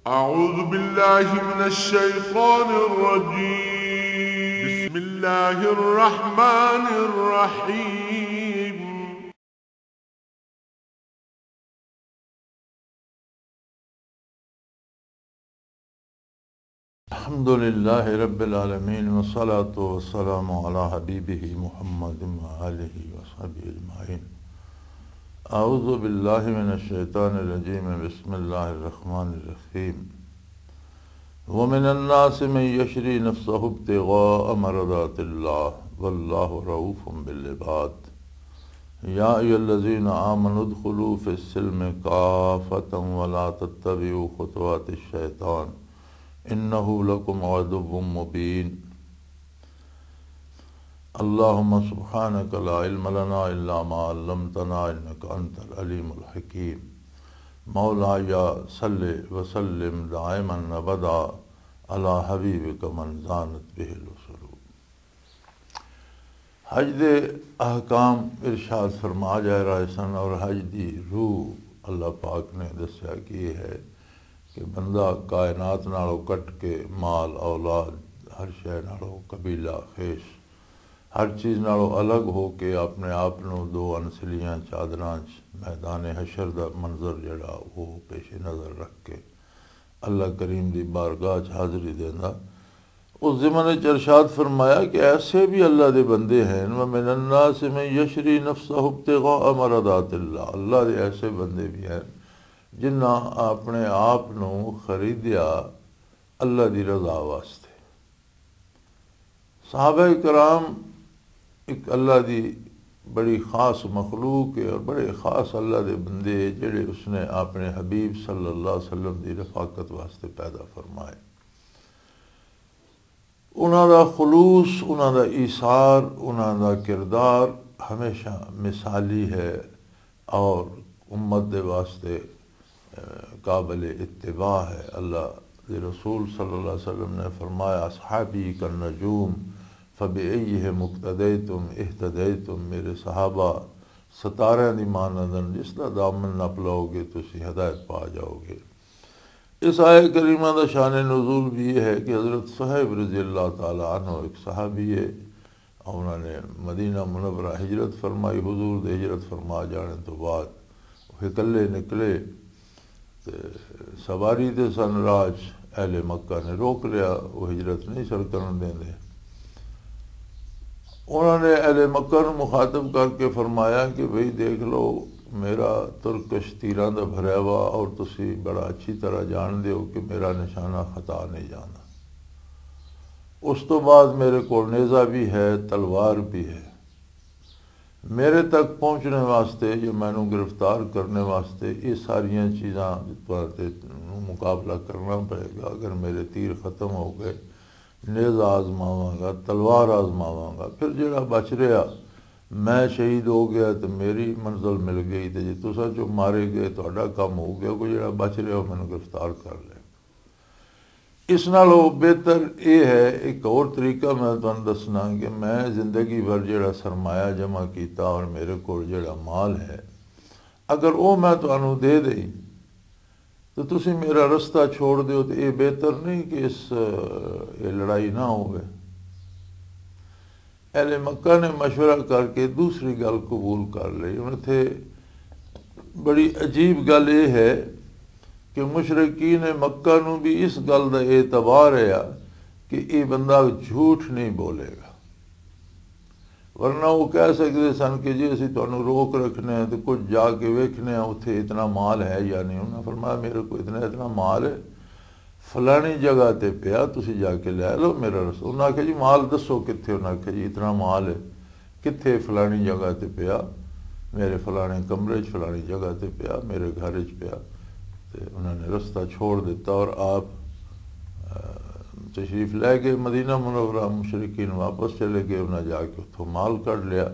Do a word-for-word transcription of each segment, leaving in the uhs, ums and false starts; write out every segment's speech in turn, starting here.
أعوذ بالله من الشيطان الرجيم. بسم الله الرحمن الرحيم. الحمد لله رب العالمين، والصلاة والسلام على حبيبه محمد وآله وصحبه أجمعين. أعوذ بالله من الشيطان الرجيم. بسم الله الرحمن الرحيم. ومن الناس من يشري نفسه ابتغاء مرضات الله والله رؤوف بالعباد. يا أيها الذين آمنوا ادخلوا في السلم كافة ولا تتبعوا خطوات الشيطان إنه لكم عدو مبين. اللهم سبحانك لا علم لنا إلا ما علمتنا إنك أنت العليم الحكيم. مولاي صل وسلم دائما أبدا على حبيبك من زانت به الوصول. حج دے احکام ارشاد فرما جا رہے سن، اور حج دی روح اللہ پاک نے دسیا کہ یہ ہے کہ بندہ کائنات نالوں کٹ کے مال، اولاد، ہر شے نالوں، قبیلہ، خیش، ہر چیز نالوں الگ ہو کے اپنے آپ نو دو انسلیاں چادراں چ میدان حشر دا منظر جڑا وہ پیش نظر رکھ کے اللہ کریم دی بارگاہ چ حاضری دیندا۔ اس ضمن وچ ارشاد فرمایا کہ ایسے بھی اللہ دے بندے ہیں، وَمِنَ النَّاسِ مَن يَشْرِي نَفْسَهُ ابْتِغَاءَ مَرْضَاتِ اللَّهِ، اللہ دے ایسے بندے بھی ہیں جنہاں اپنے آپ نو خریدیا اللہ دی رضا واسطے۔ صحابہ کرام ایک اللہ دی بڑی خاص مخلوق ہے اور بڑے خاص اللہ دے بندے ہیں جڑے اس نے اپنے حبیب صلی اللہ علیہ وسلم دی رفاقت واسطے پیدا فرمائے۔ انہاں دا خلوص، انہاں دا ایثار، انہاں دا کردار ہمیشہ مثالی ہے اور امت دے واسطے، اے، قابل اتباع ہے۔ اللہ دے رسول صلی اللہ علیہ وسلم نے فرمایا، "اصحابی کالنجوم فبأیہم اقتدیتم اہتدیتم"، میرے صحابہ ستارے دی مانند ہن، جس دا دامن نپ لو گے تسی ہدایت پا جاؤ گے۔ اس آیت کریمہ دا شان نزول بھی یہ ہے کہ حضرت صہیب رضی اللہ تعالی عنہ ایک صحابی ہے، انہوں نے مدینہ منورہ ہجرت فرمائی، حضور دے ہجرت فرما جانے تو بعد وہ اکلے نکلے تے سواری تے سن، راج اہل مکہ نے روک لیا، وہ ہجرت نہیں سر کرن دیندے۔ انہوں نے اہل مکہ نوں مخاطب کر کے فرمایا کہ بھئی دیکھ لو، میرا ترکش تیراں دا بھریا ہوا اور تسی بڑا اچھی طرح جان دے ہو کہ میرا نشانہ خطا نہیں جانا۔ اس تو بعد میرے کول نیزہ بھی ہے، تلوار بھی ہے۔ میرے تک پہنچنے واسطے یا مینوں گرفتار کرنے واسطے یہ ساریاں چیزاں تے مقابلہ کرنا پئے گا۔ اگر میرے تیر ختم ہو گئے، نیزہ آزماواں گا، تلوار آزماواں گا، پھر جڑا بچ رہیا، میں شہید ہو گیا تے میری منزل مل گئی، تے جے تساں چوں مارے گئے، تہاڈا کم ہو گیا، کوئی جڑا بچ رہیا، وہ مینوں گرفتار کر لے۔ اس نالوں بہتر یہ ہے، ایک اور طریقہ میں تمہیں دسنا کہ میں زندگی بھر جڑا سرمایہ جمع کیتا اور میرے کول جڑا مال ہے، اگر وہ میں تمہیں دے دئی تو تسی میرا رستہ چھوڑ دیو، تو یہ بہتر نہیں کہ اس، یہ لڑائی نہ ہوئے۔ اہل مکہ نے مشورہ کر کے دوسری گل قبول کر لی۔ ہن اتھے بڑی عجیب گل یہ ہے کہ مشرکین مکہ نوں بھی اس گل دا اعتبار ہے کہ یہ بندہ جھوٹ نہیں بولے گا، ورنہ وہ کہہ سکتے سن کہ جی اسی تانوں روک رکھنے ہیں تو کچھ جا کے ویکھنے ہیں اتھے اتنا مال ہے یا نہیں۔ انہاں فرمایا میرے کو اتنا اتنا مال ہے، فلانی جگہ تے پیا، تسی جا کے لے لو۔ میرا رسول، انہاں آکھیا جی مال دسو کتھے؟ انہاں آکھیا جی اتنا مال ہے، کتھے؟ فلانی جگہ تے پیا، میرے فلانے کمرے چ فلانی جگہ تے پیا، میرے گھر چ پیا۔ تے انہاں نے رستہ چھوڑ دیتا اور آپ، آ، تشریف لے گئے مدینہ منورہ۔ مشرکین واپس چلے گئے، انہاں جا کے اتھوں مال کڈ لیا۔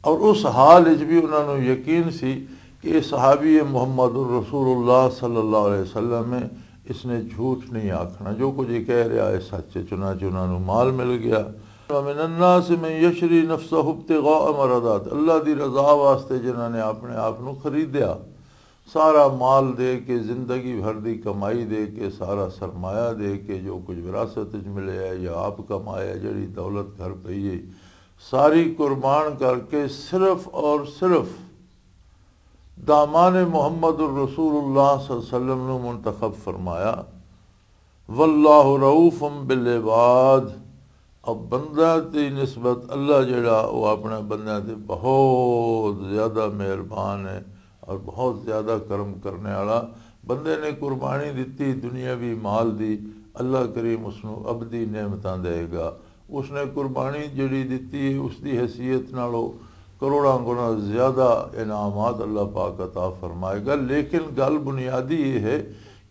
اور اس حال وچ بھی انہاں نوں یقین سی کہ یہ صحابی محمد الرسول اللہ صلی اللہ علیہ وسلم ہے، اس نے جھوٹ نہیں آکھنا، جو کچھ یہ کہہ رہا ہے سچ ہے۔ چنانچہ انہاں نوں مال مل گیا۔ وَمِنَ النَّاسِ مَن يَشْرِي نَفْسَهُ ابْتِغَاءَ مَرْضَاتِ، اللہ دی رضا واسطے جنہاں نے اپنے آپ نوں خریدیا۔ سارا مال دے کے، زندگی بھر دی کمائی دے کے، سارا سرمایہ دے کے، جو کچھ وراثت وچ ملیا ہے یا آپ کمایا ہے، جڑی دولت گھر پئی ہے، ساری قربان کر کے صرف اور صرف دامان محمد الرسول اللہ صلی اللہ علیہ وسلم نو منتخب فرمایا۔ واللہ رؤوف بالعباد۔ اب بندہ دی نسبت اللہ جڑا، وہ اپنے بندیاں تے بہت زیادہ مہربان ہے اور بہت زیادہ کرم کرنے والا۔ بندے نے قربانی دتی دنیاوی مال دی، اللہ کریم اس نو ابدی نعمتاں دے گا۔ اس نے قربانی جڑی دتی ہے، اس دی حیثیت نالوں کروڑاں گنا زیادہ انعامات اللہ پاک عطا فرمائے گا۔ لیکن گل بنیادی یہ ہے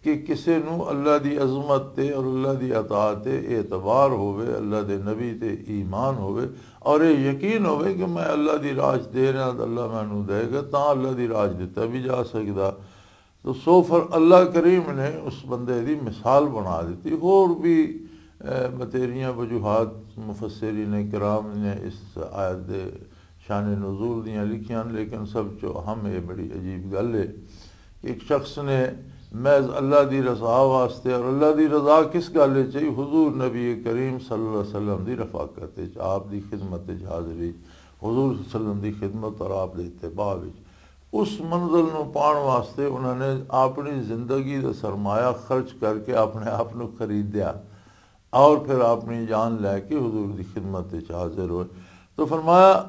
کہ کسے نو اللہ دی عظمت تے اور اللہ دی عطا تے اعتبار ہووے، اللہ دے نبی تے ایمان ہووے اور یہ یقین ہووے کہ میں اللہ دی راج دے رہا تے اللہ مینوں دے گا، تاں اللہ دی راج دتا بھی جا سکدا۔ تو سو فر اللہ کریم نے اس بندے دی مثال بنا دیتی۔ ہور بھی، اے، بتیریاں وجوہات مفسرین کرام نے اس آیت دے شان نزول دیاں لکھیاں، لیکن سب چو اہم یہ بڑی عجیب گل ہے کہ ایک شخص نے محض اللہ دی رضا واسطے، اور اللہ دی رضا کس گل وچ ہے؟ حضور نبی کریم صلی اللہ علیہ وسلم دی رفاقت وچ، آپ دی خدمت وچ حاضری، حضور صلی اللہ علیہ وسلم دی خدمت اور آپ دے اتباع وچ، اس منزل نو پان واسطے انہوں نے اپنی زندگی دا سرمایہ خرچ کر کے اپنے آپ نو خریدیا اور پھر اپنی جان لے کے حضور دی خدمت وچ حاضر ہوئے۔ تو فرمایا،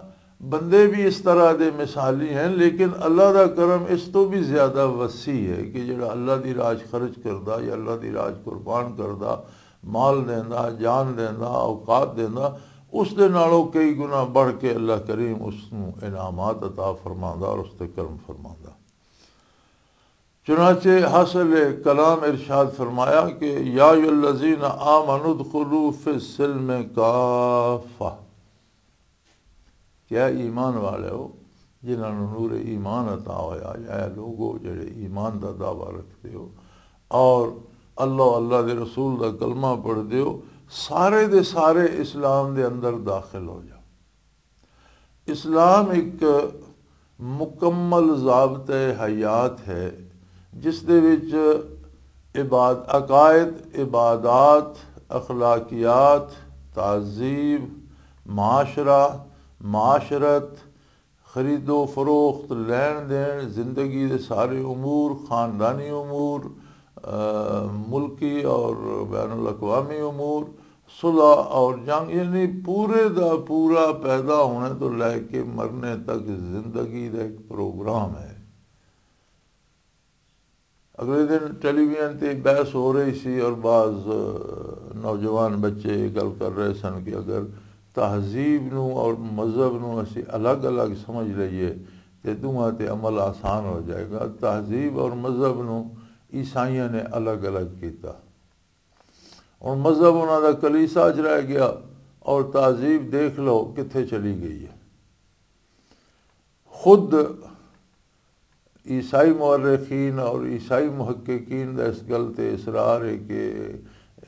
بندے بھی اس طرح دے مثالی ہیں، لیکن اللہ دا کرم اس تو بھی زیادہ وسیع ہے کہ جڑا اللہ دی راج خرچ کردا یا اللہ دی راج قربان کردا، مال دیندا، جان دیندا، اوقات دیندا، اس دے نالوں کئی گنا بڑھ کے اللہ کریم اس نوں انعامات عطا فرماندا اور اس تے کرم فرماندا۔ چنانچہ حاصل کلام ارشاد فرمایا کہ یا ایھا الذین آمنوا ادخلوا فی السلم کافہ، کہ اے ایمان والے ہو، جنہاں نوں نور ایمان عطا ہویا، یا اے لوگو جڑے ایمان دا دعویٰ رکھتے ہو اور اللہ، اللہ دے رسول دا کلمہ پڑھتے ہو، سارے دے سارے اسلام دے اندر داخل ہو جاؤ۔ اسلام ایک مکمل ضابطۂ حیات ہے، جس دے وچ عباد-، عقائد، عبادات، اخلاقیات، تہذیب، معاشرہ، معاشرت، خرید و فروخت، لین دین، زندگی دے سارے امور، خاندانی امور، آ، ملکی اور بین الاقوامی امور، صلح اور جنگ، یعنی پورے دا پورا پیدا ہونے تو لے کے مرنے تک زندگی دا ایک پروگرام ہے۔ اگلے دن ٹیلی ویژن تے بحث ہو رہی سی اور بعض، آ، نوجوان بچے یہ گل کر رہے سن کہ اگر تہذیب نو اور مذہب نو اسی الگ الگ سمجھ لئیے تے دوواں تے عمل آسان ہو جائے گا۔ تہذیب اور مذہب نو عیسائیاں نے الگ الگ کیتا۔ ہن مذہب انہاں دا کلیسا چ رہ گیا اور تہذیب دیکھ لو کتھے چلی گئی ہے۔ خود عیسائی مورخین اور عیسائی محققین دا اس گل تے اصرار ہے کہ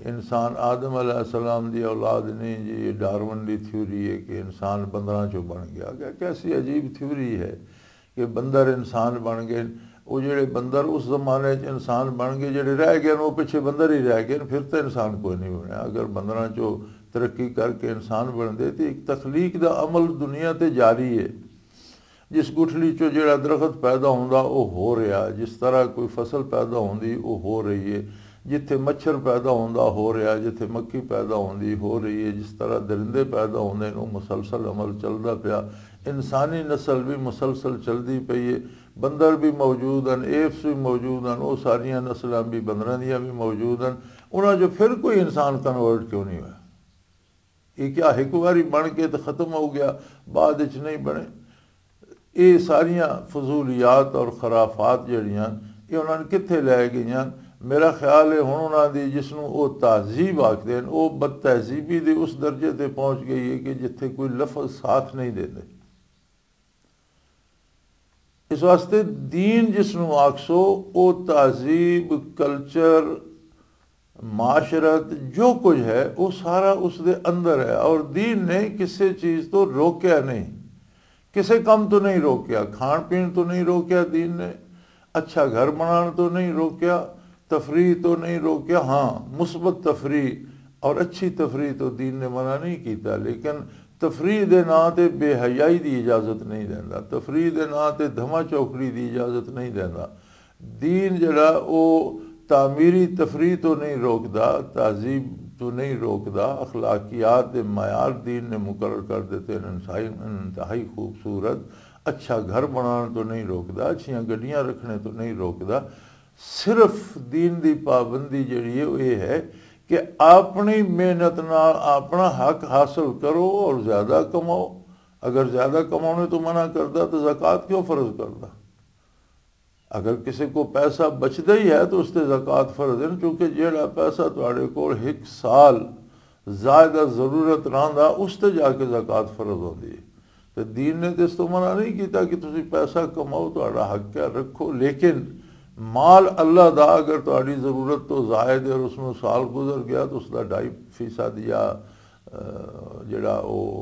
انسان آدم علیہ السلام دی اولاد نہیں جی، یہ ڈارون دی تھیوری ہے کہ انسان بندراں چوں بن گیا۔ کہ کیسی عجیب تھیوری ہے کہ بندر انسان بن گئے۔ وہ جڑے بندر اس زمانے چ انسان بن گئے، جڑے رہ گئے، وہ پیچھے بندر ہی رہ گئے، پھر تو انسان کوئی نہیں بنیا۔ اگر بندراں چوں ترقی کر کے انسان بن دے، تو ایک تخلیق دا عمل دنیا تے جاری ہے۔ جس گٹھلی چوں جڑا درخت پیدا ہوندا، او ہو رہیا، جس طرح کوئی فصل پیدا ہوندی، او ہو رہی ہے۔ جتھے مچھر پیدا ہوندا، ہو رہیا، جتھے مکھی پیدا ہوندی، ہو رہی ہے۔ جس طرح درندے پیدا ہوندے نے، او مسلسل عمل چلدا پیا۔ انسانی نسل بھی مسلسل چلدی پئی ہے۔ بندر بھی موجود ہیں، ایپس بھی موجود ہیں، او ساریاں نسلاں بھی بندراں دیاں بھی موجود ہیں۔ انہاں جو پھر کوئی انسان کنورٹ کیوں نہیں ہویا؟ یہ کیا ایک واری بن کے تو ختم ہو گیا، بعد وچ نہیں بنے؟ یہ ساریاں فضولیات اور خرافات جڑیاں، یہ انہاں نے کتھے لے گئیاں؟ میرا خیال ہے ہن انہاں دی، جس نوں او تہذیب آکھدے ہن، او بد تہذیبی دے اس درجے تے پہنچ گئی ہے کہ جتھے کوئی لفظ ساتھ نہیں دیندے۔ اس واسطے دین جس نوں آکھسو، او تہذیب، کلچر، معاشرت، جو کچھ ہے، وہ سارا اس دے اندر ہے۔ اور دین نے کسے چیز تو روکیا نہیں، کسے کم تو نہیں روکیا، کھان پین تو نہیں روکیا دین نے، اچھا گھر بنان تو نہیں روکیا، تفریح تو نہیں روکیا۔ ہاں، مثبت تفریح اور اچھی تفریح تو دین نے منع نہیں کیتا، لیکن تفریح دے ناں تے بے حیائی دی اجازت نہیں دیندا، تفریح دے ناں تے دھما چوکڑی دی اجازت نہیں دیندا۔ دین جڑا او تعمیری تفریح تو نہیں روکدا، تہذیب تو نہیں روکدا، اخلاقیات دے معیار دین نے مقرر کر دیتے ہیں، انتہائی، انتہائی خوبصورت۔ اچھا گھر بنان تو نہیں روکدا، اچھیاں گڈیاں رکھنے تو نہیں روکدا۔ صرف دین دی پابندی جڑی ہے، وہ یہ ہے کہ اپنی محنت نال اپنا حق حاصل کرو اور زیادہ کماؤ۔ اگر زیادہ کمانے تو منع کردا تو زکوٰۃ کیوں فرض کردا؟ اگر کسی کو پیسہ بچدا ہی ہے تو اس تے زکوٰۃ فرض ہے، کیونکہ جیڑا پیسہ تہاڈے کول ایک سال زائدہ ضرورت رہندا، اس تے جا کے زکوٰۃ فرض ہوندی ہے۔ تے دین نے تے اس تو منع نہیں کیتا کہ تسی پیسہ کماؤ، تہاڈا حق ہے، رکھو، لیکن مال اللہ دا اگر تہاڈی ضرورت تو زائد ہے اور اس نوں سال گزر گیا تو اس دا ڈھائی فیصد یا، آ، جڑا او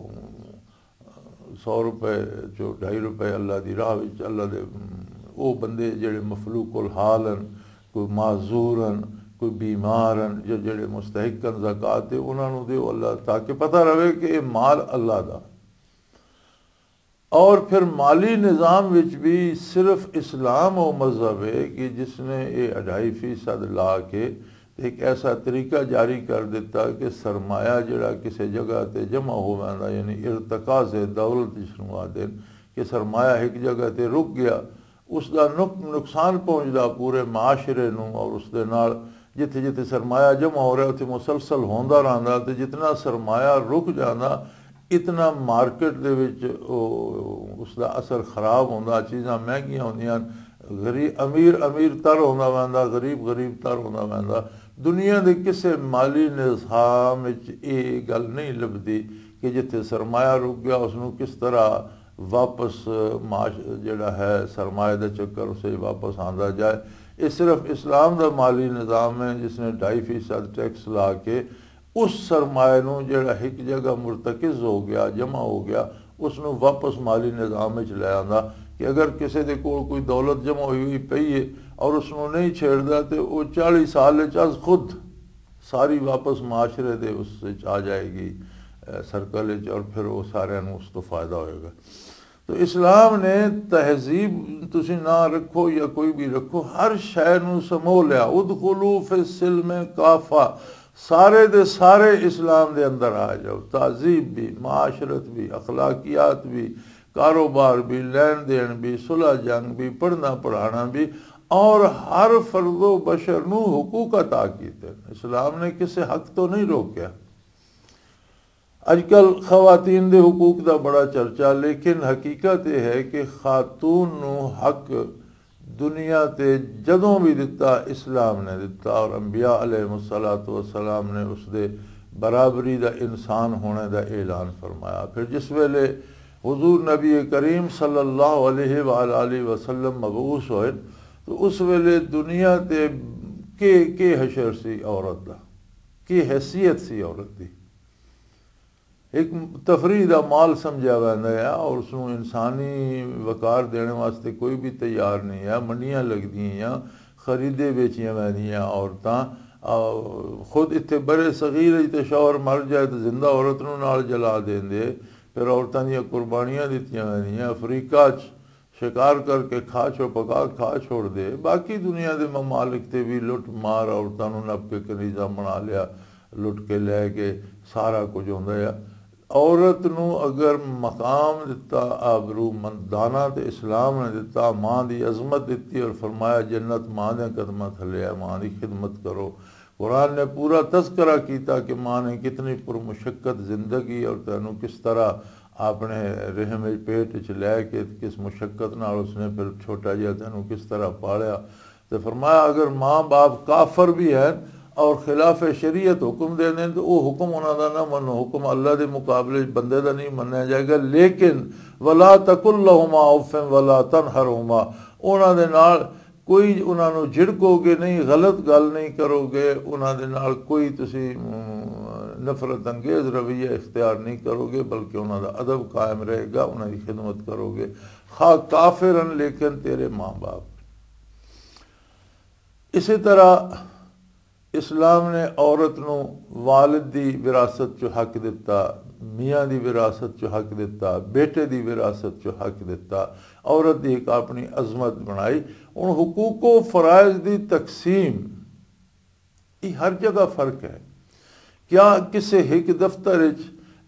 سو روپے چو ڈھائی روپے اللہ دی راہ وچ، اللہ دے، ام، او بندے جڑے مفلوق الحال ہن، کوئی معذور ہن، کوئی بیمار ہن، جو جڑے مستحق ہن زکوٰۃ دے، انہاں نوں دیو اللہ، تاکہ پتہ رہے کہ یہ مال اللہ دا۔ اور پھر مالی نظام وچ بھی صرف اسلام او مذہب ہے کہ جس نے یہ اڑھائی فیصد لا کے ایک ایسا طریقہ جاری کر دیتا کہ سرمایہ جڑا کسی جگہ تے جمع ہو ویندا، یعنی ارتکاز دولت جس نوں آدھے کہ سرمایہ ایک جگہ تے رک گیا، اس دا نق-، نقصان پہنچدا پورے معاشرے نوں، اور اس دے نال جتھے جتھے سرمایہ جمع ہو رہا، اتھے مسلسل ہوندا رہندا، تے جتنا سرمایہ رک جاندا، اتنا مارکیٹ دے وچ او، اس دا اثر خراب ہوندا، چیزاں مہنگیاں ہوندیاں، غریب، امیر امیر تر ہوندا ویندا، غریب غریب تر ہوندا ویندا۔ دنیا دے کسے مالی نظام وچ یہ گل نہیں لبدی کہ جتھے سرمایہ رک گیا، اس نوں کس طرح واپس معاش-، جڑا ہے سرمایہ دا چکر اسے واپس آندا جائے۔ یہ صرف اسلام دا مالی نظام ہے جس نے ڈھائی فیصد ٹیکس لا کے اس سرمایہ نوں جڑا ایک جگہ مرتکز ہو گیا، جمع ہو گیا، اس نوں واپس مالی نظام وچ لے آندا کہ اگر کسے دے کول کوئی دولت جمع ہوئی ہوئی پئی ہے اور اس نوں نہیں چھیڑدا تے او چالیس سال وچ از خود ساری واپس معاشرے دے اس وچ آ جائے گی، اے، سرکل وچ، اور پھر وہ سارے نوں اس تو فائدہ ہوئے گا۔ تو اسلام نے تہذیب تسی نہ رکھو یا کوئی بھی رکھو، ہر شے نوں سمو لیا۔ ادخلوا فی السلم کافہ، سارے دے سارے اسلام دے اندر آ جاؤ، تہذیب بھی، معاشرت بھی، اخلاقیات بھی، کاروبار بھی، لین دین بھی، صلح جنگ بھی، پڑھنا پڑھانا بھی، اور ہر فرد و بشر نو حقوق عطا کیتے۔ اسلام نے کسے حق تو نہیں روکیا۔ اج کل خواتین دے حقوق دا بڑا چرچا، لیکن حقیقت یہ ہے کہ خاتون نو حق دنیا تے جدوں بھی دتا، اسلام نے دتا، اور انبیاء علیہ الصلوۃ والسلام نے اس دے برابری دا، انسان ہونے دا اعلان فرمایا۔ پھر جس ویلے حضور نبی کریم صلی اللہ علیہ وآلہ وسلم مبعوث ہوئے تو اس ویلے دنیا تے کے، کے حشر سی عورت دا، کے حیثیت سی عورت دی۔ ایک تفریح دا مال سمجھیا ویندا ہے اور اس نوں انسانی وقار دینے واسطے کوئی بھی تیار نہیں ہے۔ منڈیاں لگدیاں، خریدے ویچیاں ویندیاں عورتاں۔ آ، خود اتھے برے صغیر ہی تے شوہر مر جائے تے زندہ عورت نوں نال جلا دیندے۔ پھر عورتاں دیاں قربانیاں دتیاں ویندیاں۔ افریقہ چ شکار کر کے کھا چھو، پکا کھا چھوڑ دے۔ باقی دنیا دے ممالک تے بھی لٹ مار، عورتاں نوں نپ کے کنیزاں بنا لیا، لٹ کے لے کے سارا کچھ ہوندا ہے۔ عورت نوں اگر مقام دتا، آبرو مند دانا تے اسلام نے دتا، ماں دی عظمت دتی اور فرمایا، "جنت ماں دے قدماں تھلے ہے، ماں دی خدمت کرو۔" قرآن نے پورا تذکرہ کیتا کہ ماں نے کتنی پرمشقت زندگی اور تینوں کس طرح اپنے رحم وچ، پیٹ وچ لے کے کس مشقت نال اس نے پھر چھوٹا جہا تینوں کس طرح پالیا۔ تے فرمایا، اگر ماں باپ کافر بھی ہیں اور خلاف شریعت حکم دے دیں تو وہ حکم انہاں دا نہ منو، حکم اللہ دے مقابلے وچ بندے دا نہیں منیا جائے گا۔ لیکن ولا تقل لهما اف ولا تنهرهما، انہاں دے نال کوئی انہاں نوں جھڑکو گے نہیں، غلط گل نہیں کرو گے، انہاں دے نال کوئی تسی، ام، نفرت انگیز رویہ اختیار نہیں کرو گے، بلکہ انہاں دا ادب قائم رہے گا، انہاں دی خدمت کرو گے، خواہ کافر ہن لیکن تیرے ماں باپ۔ اسی طرح اسلام نے عورت نو والد دی وراثت چو حق دتا، میاں دی وراثت چو حق دتا، بیٹے دی وراثت چو حق دتا۔ عورت دی ایک اپنی عظمت بنائی۔ ہن حقوق و فرائض دی تقسیم، یہ ہر جگہ فرق ہے۔ کیا کسے ایک دفتر وچ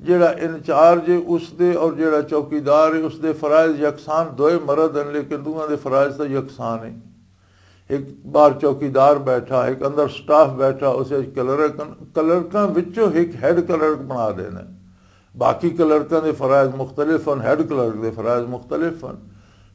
جڑا انچارج ہے اس دے اور جڑا چوکیدار ہے اس دے فرائض یکسان؟ دوئے مرد ہیں لیکن دونوں دے فرائض تو یکسان ہیں۔ ایک باہر چوکیدار بیٹھا، ایک اندر سٹاف بیٹھا، اسے کلرک، کلرکاں وچوں ایک ہیڈ کلرک بنا دینا۔ باقی کلرکاں دے فرائض مختلف ہیں، ہیڈ کلرک دے فرائض مختلف ہیں۔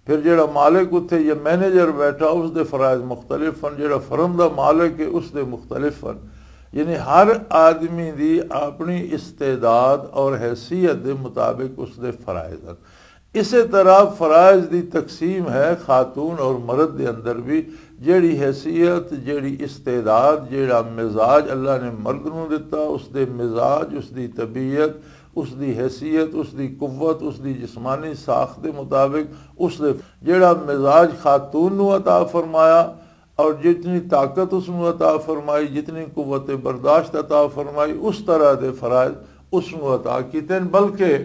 پھر جڑا مالک اتھے یا مینیجر بیٹھا، اس دے فرائض مختلف ہیں، جڑا فرم دا مالک ہے اس دے مختلف ہیں۔ یعنی ہر آدمی دی اپنی استعداد اور حیثیت دے مطابق اس دے فرائض ہیں۔ اسی طرح فرائض دی تقسیم ہے خاتون اور مرد دے اندر بھی۔ جیڑی حیثیت، جیڑی استعداد، جیڑا مزاج اللہ نے مرد نو دتا، اس دے مزاج، اس دی طبیعت، اس دی حیثیت، اس دی قوت، اس دی جسمانی ساخت دے مطابق اس دے جیڑا مزاج خاتون نو عطا فرمایا اور جتنی طاقت اس نو عطا فرمائی، جتنی قوت برداشت عطا فرمائی، اس طرح دے فرائض اس نو عطا کیتے ہیں۔ بلکہ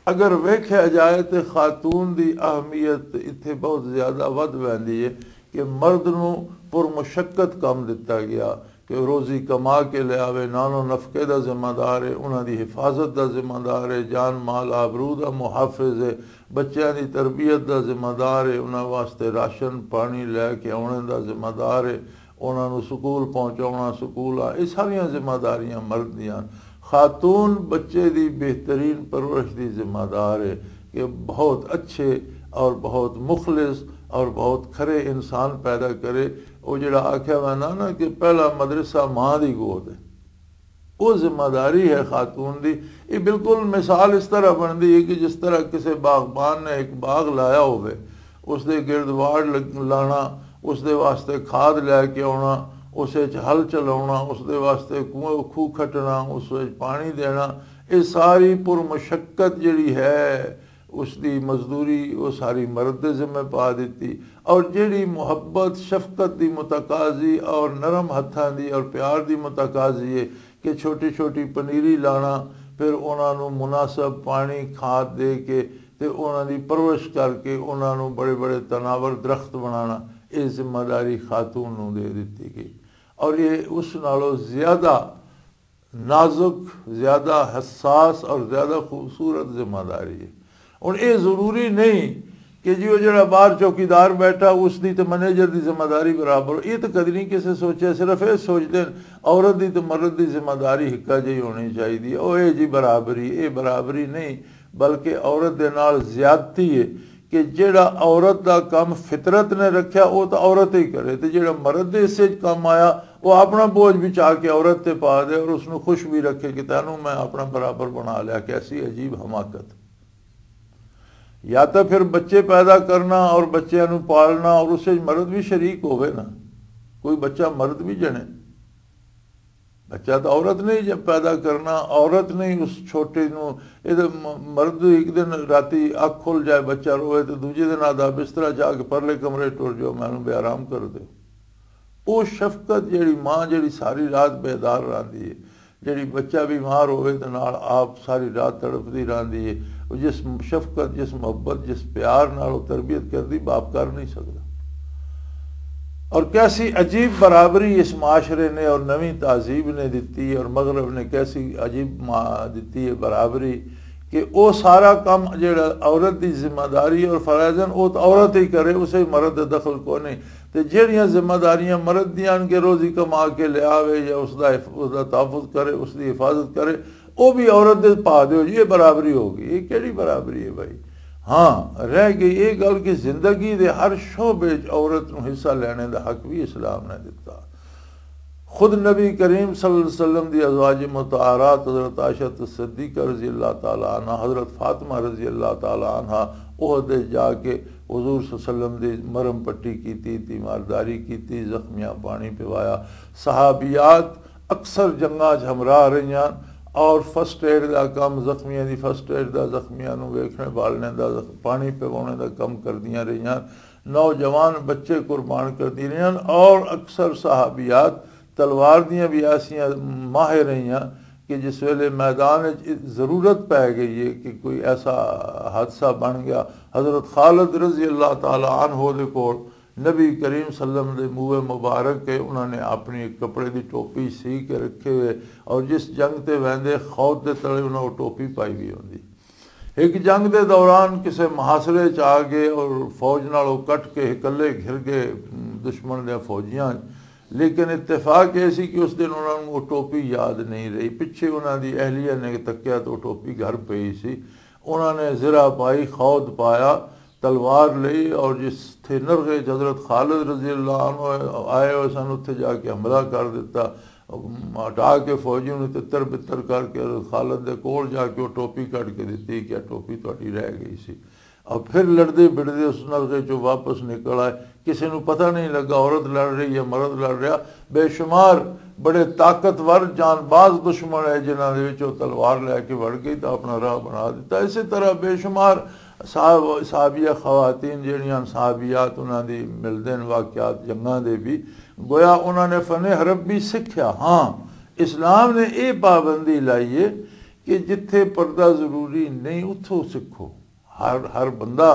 اگر ویکھیا جائے تے خاتون دی اہمیت اتھے بہت زیادہ ودھ ویندی ہے کہ مرد نو پر مشقت کم دتا گیا کہ روزی کما کے لے آوے، نان و نفقے دا ذمہ دار ہے، انہاں دی حفاظت دا ذمہ دار ہے، جان مال آبرو دا محافظ ہے، بچیاں دی تربیت دا ذمہ دار ہے، انہاں واسطے راشن پانی لے کے آنے دا ذمہ دار ہے، انہاں نوں سکول پہنچاؤنا، سکول آ، یہ ساریاں ذمہ داریاں مرد دیاں۔ خاتون بچے دی بہترین پرورش دی ذمہ دار ہے کہ بہت اچھے اور بہت مخلص اور بہت کھرے انسان پیدا کرے۔ وہ جڑا آکھیا ویندا نا کہ پہلا مدرسہ ماں دی گود ہے، وہ ذمہ داری ہے خاتون دی۔ یہ بالکل مثال اس طرح بندی ہے کہ جس طرح کسی باغبان نے ایک باغ لایا ہوئے، اس دے گرد واڑ لگ- لانا، اس دے واسطے کھاد لے کے آنا، اس وچ ہل چلاونا، اس دے واسطے کنواں- کھوہ کھٹنا، اس وچ پانی دینا، یہ ساری پر مشقت جڑی ہے، اس دی مزدوری وہ ساری مرد دے ذمہ پا دیتی۔ اور جڑی محبت شفقت دی متقاضی اور نرم ہتھاں دی اور پیار دی متقاضی ہے کہ چھوٹی چھوٹی پنیری لانا، پھر انہاں نوں مناسب پانی کھاد دے کے تے انہاں دی پرورش کر کے انہاں نوں بڑے بڑے تناور درخت بنانا، یہ ذمہ داری خاتون نوں دے دتی گئی۔ اور یہ اس نالوں زیادہ نازک، زیادہ حساس اور زیادہ خوبصورت ذمہ داری ہے۔ ہن یہ ضروری نہیں کہ جی وہ جڑا باہر چوکیدار بیٹھا اس دی تے مینیجر دی ذمہ داری برابر ہو۔ یہ تو کدی نہیں کسے سوچیا، صرف یہ سوچتے ہیں عورت دی تے مرد دی ذمہ داری ہکا جہی ہونی چاہیے۔ او اے جی برابری، اے برابری نہیں، بلکہ عورت دے نال زیادتی ہے کہ جیڑا عورت دا کم فطرت نے رکھیا، او تاں عورت ہی کرے، تے جیڑا مرد دے حصے وچ کم آیا، او اپنا بوجھ بچا کے عورت تے پا دے اور اس نوں خوش بھی رکھے کہ تینوں میں اپنا برابر بنا لیا۔ کیسی عجیب حماقت! یا تاں پھر بچے پیدا کرنا اور بچیاں نوں پالنا اور اس وچ مرد بھی شریک ہووے نا، کوئی بچہ مرد بھی جنے۔ بچہ تو عورت نے ہی جب پیدا کرنا، عورت نے ہی اس چھوٹے نو، یہ تو م-، مرد ایک دن راتی اکھ کھل جائے، بچہ روئے تو دوجے دن آدھا بسترا جا کے پرلے کمرے ٹر جاؤ، مینوں بے آرام کر دیو۔ وہ شفقت جیڑی ماں جیڑی ساری رات بیدار رہندی ہے، جیڑی بچہ بیمار ہوئے تو نال آپ ساری رات تڑپدی رہندی ہے، وہ جس شفقت، جس محبت، جس پیار نال وہ تربیت کردی، باپ کر نہیں سکدا۔ اور کیسی عجیب برابری اس معاشرے نے اور نویں تہذیب نے دتی اور مغرب نے کیسی عجیب ما-، دتی ہے برابری کہ او سارا کم جڑا عورت دی ذمہ داری اور فرائض ہیں، او تے عورت ہی کرے، اسے مرد دے دخل کو نہیں۔ تے جڑیاں ذمہ داریاں مرد دیاں ہن کہ روزی کما کے لے آوے یا اس دا حف-، اس دا تحفظ کرے، اس دی حفاظت کرے، او بھی عورت دے پا دیو جی، یہ برابری ہو گئی۔ یہ کیڑی برابری ہے بھائی؟ ہاں، رہ گئی یہ گل کہ زندگی دے ہر شعبے وچ عورت نوں حصہ لینے دا حق بھی اسلام نے دتا۔ خود نبی کریم صلی اللہ علیہ وسلم دی ازواج مطہرات حضرت عائشہ صدیقہ رضی اللہ تعالی عنہ، حضرت فاطمہ رضی اللہ تعالی عنہ، عہد جا کے حضور صلی اللہ علیہ وسلم دی مرم پٹی کیتی، تیمارداری کیتی، زخمیاں پانی پوایا۔ صحابیات اکثر جنگاں 'چ ہمراہ رہیاں اور فرسٹ ایڈ دا کم، زخمیاں دی فرسٹ ایڈ دا، زخمیاں نوں ویکھنے بالنے دا، زخ-، پانی پوانے دا کم کردیاں رہیاں۔ نوجوان بچے قربان کردی رہیاں، اور اکثر صحابیات تلوار دیاں بھی ایسیاں ماہر رہیاں کہ جس ویلے میدان وچ ضرورت پے گئی ہے کہ کوئی ایسا حادثہ بن گیا، حضرت خالد رضی اللہ تعالی عنہ دے کول نبی کریم صلی اللہ علیہ وسلم دے منہ مبارک کے انہاں نے اپنی ایک کپڑے دی ٹوپی سی کے رکھے ہوئے، اور جس جنگ تے ویندے خود دے تلے انہاں وہ ٹوپی پائی ہوئی ہوندی۔ ایک جنگ دے دوران کسے محاصرے چ آ گئے اور فوج نال او کٹ کے اکلے گھر گئے دشمن دے فوجیاں۔ لیکن اتفاق یہ سی کہ اس دن انہاں نوں او ٹوپی یاد نہیں رہی، پچھے انہاں دی اہلیہ نے تکیا تو او ٹوپی گھر پئی سی۔ انہاں نے زرہ پائی، خود پایا، تلوار لئی، اور جس تھے نرغے چ حضرت خالد رضی اللہ عنہ آئے ہوئے سن، اتھے جا کے حملہ کر دیتا۔ ہٹا کے فوجی نوں تتر بتر کر کے حضرت خالد دے کول جا کے وہ ٹوپی کٹ کے دتی کہ ٹوپی تہاڈی رہ گئی سی۔ اور پھر لڑدے بڑدے اس نرغے چوں واپس نکل آئے۔ کسی نوں پتہ نہیں لگا عورت لڑ رہی یا مرد لڑ رہا۔ بے شمار بڑے طاقتور جان باز دشمن ہے جنہاں دے وچ وہ تلوار لے کے وڑ گئی تو اپنا راہ بنا دیتا۔ اسی طرح بے شمار صاحب صحابیہ خواتین جہڑیاں صحابیات انہاں دی ملدے نے واقعات جنگاں دے بھی، گویا انہاں نے فن حرب بھی سکھیا۔ ہاں، اسلام نے یہ پابندی لائی ہے کہ جتھے پردہ ضروری نہیں اتھوں سکھو۔ ہر ہر بندہ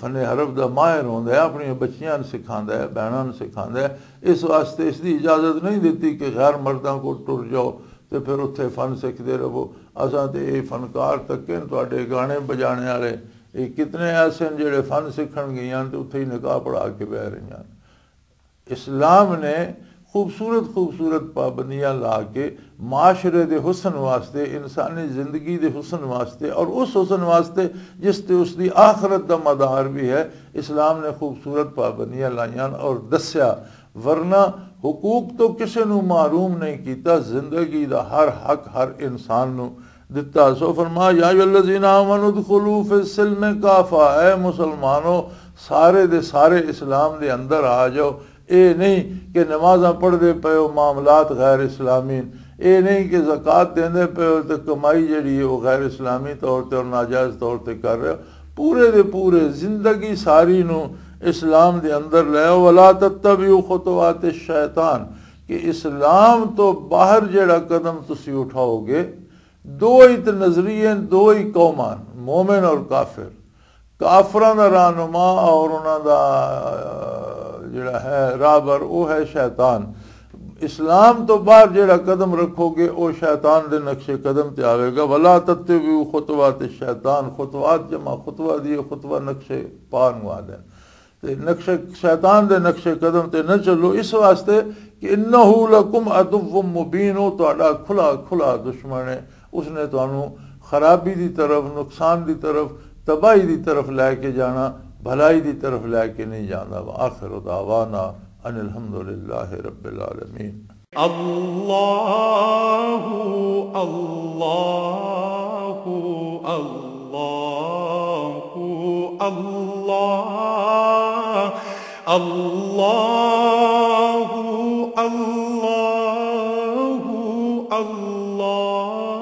فن حرب دا ماہر ہوندا ہے، اپنی بچیاں نوں سکھاندا ہے، بہناں نوں سکھاندا ہے۔ اس واسطے اس دی اجازت نہیں دتی کہ غیر مرداں کو ٹر جاؤ تے پھر اتھے فن سکھدے رہو۔ اساں تے اے فنکار تکے نے تہاڈے گانے بجانے والے، اے کتنے ایسے نے جڑے فن سکھن گئیاں تے اتھے ہی نکاح پڑھا کے بہ رہیاں۔ اسلام نے خوبصورت خوبصورت پابندیاں لا کے معاشرے دے حسن واسطے، انسانی زندگی دے حسن واسطے اور اس حسن واسطے جس تے اس دی آخرت دا مدار بھی ہے، اسلام نے خوبصورت پابندیاں لائیاں اور دسیا۔ ورنہ حقوق تو کسے نو محروم نہیں کیتا، زندگی دا ہر حق ہر انسان نو دتا۔ سو فرمایا، یا ایھا الذین آمنوا ادخلوا فی السلم کافہ، اے مسلمانو، سارے دے سارے اسلام دے اندر آ جاؤ۔ اے نہیں کہ نمازاں پڑھ دے پئے ہو، معاملات غیر اسلامی، اے نہیں کہ زکوٰۃ دیندے پئے ہو تے کمائی جڑی ہے وہ غیر اسلامی طور تے اور ناجائز طور تے کر رہے ہو۔ پورے دے پورے زندگی ساری نو اسلام دے اندر لے آؤ۔ ولا تتبعوا خطوات الشیطان، کہ اسلام تو باہر جڑا قدم تسی اٹھاؤ گے، دو ہی تے نظریے، دو ہی قوماں، مومن اور کافر۔ کافراں دا رہنما اور انہاں دا، آ، جڑا ہے راہبر، وہ ہے شیطان۔ اسلام تو باہر جڑا قدم رکھو گے، وہ شیطان دے نقش قدم تے آوے گا۔ ولا تتبعوا خطوات الشیطان، خطوات جمع خطوہ دی، خطوہ نقش پا نو آدھے۔ تے نقش، شیطان دے نقش قدم تے نہ چلو، اس واسطے کہ انہ لکم عدو مبین، وہ تہاڈا کھلا کھلا دشمن ہے۔ اس نے تانوں خرابی دی طرف، نقصان دی طرف، تباہی دی طرف لے کے جانا، بھلائی دی طرف لے کے نہیں جانا۔ وآخر دعوانا ان الحمدللہ رب العالمین۔ اللہ، اللہ، اللہ، اللہ، اللہ، اللہ، اللہ۔